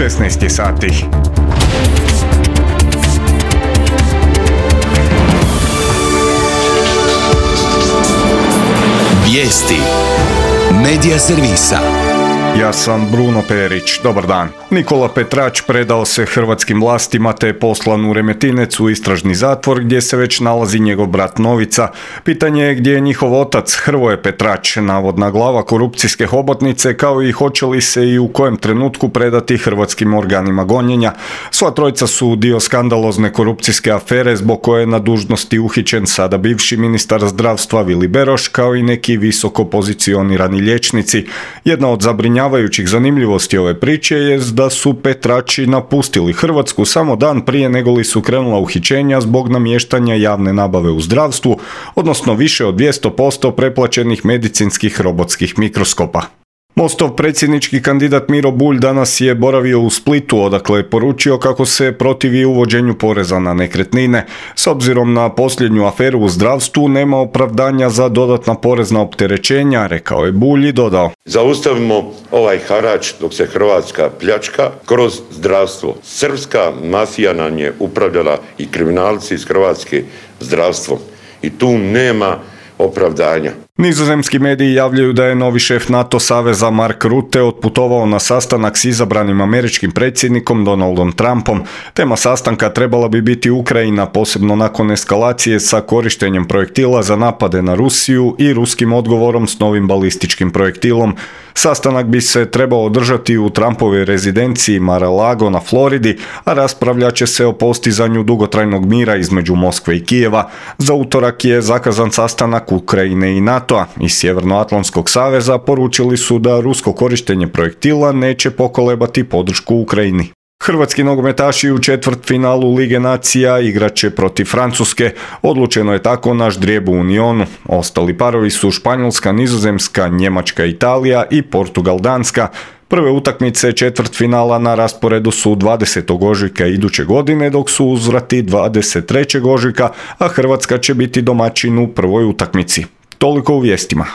16 je sati. Vijesti Medija servisa. Ja sam Bruno Perić, dobar dan. Nikola Petrač predao se hrvatskim vlastima te je poslan u Remetinec u istražni zatvor gdje se već nalazi njegov brat Novica. Pitanje je gdje je njihov otac Hrvoje Petrač, navodna glava korupcijske hobotnice, kao i hoće li se i u kojem trenutku predati hrvatskim organima gonjenja. Sva trojica su dio skandalozne korupcijske afere zbog koje je na dužnosti uhićen sada bivši ministar zdravstva Vili Beroš, kao i neki visoko pozicionirani liječnici. Jedna od zabrinjavajućih zanimljivosti ove priče je da su Petrači napustili Hrvatsku samo dan prije nego li su krenula uhićenja zbog namještanja javne nabave u zdravstvu, odnosno više od 200% preplaćenih medicinskih robotskih mikroskopa. Mostov predsjednički kandidat Miro Bulj danas je boravio u Splitu, odakle je poručio kako se protivi uvođenju poreza na nekretnine. S obzirom na posljednju aferu u zdravstvu nema opravdanja za dodatna porezna opterećenja, rekao je Bulj i dodao: Zaustavimo ovaj harač dok se Hrvatska pljačka kroz zdravstvo. Srpska mafija nam je upravljala i kriminalci iz Hrvatske zdravstvom i tu nema opravdanja. Nizozemski mediji javljaju da je novi šef NATO saveza Mark Rutte otputovao na sastanak s izabranim američkim predsjednikom Donaldom Trumpom. Tema sastanka trebala bi biti Ukrajina, posebno nakon eskalacije sa korištenjem projektila za napade na Rusiju i ruskim odgovorom s novim balističkim projektilom. Sastanak bi se trebao održati u Trumpovoj rezidenciji Mar-a-Lago na Floridi, a raspravljat će se o postizanju dugotrajnog mira između Moskve i Kijeva. Za utorak je zakazan sastanak Ukrajine i NATO-a. Iz Sjevernoatlantskog saveza poručili su da rusko korištenje projektila neće pokolebati podršku Ukrajini. Hrvatski nogometaši u četvrtfinalu Lige nacija igrat će protiv Francuske. Odlučeno je tako na ždrijebu u Unionu. Ostali parovi su Španjolska, Nizozemska, Njemačka, Italija i Portugal, Danska. Prve utakmice četvrtfinala na rasporedu su 20. ožujka iduće godine, dok su uzvrati 23. ožujka, a Hrvatska će biti domaćin u prvoj utakmici. Toliko u vijestima.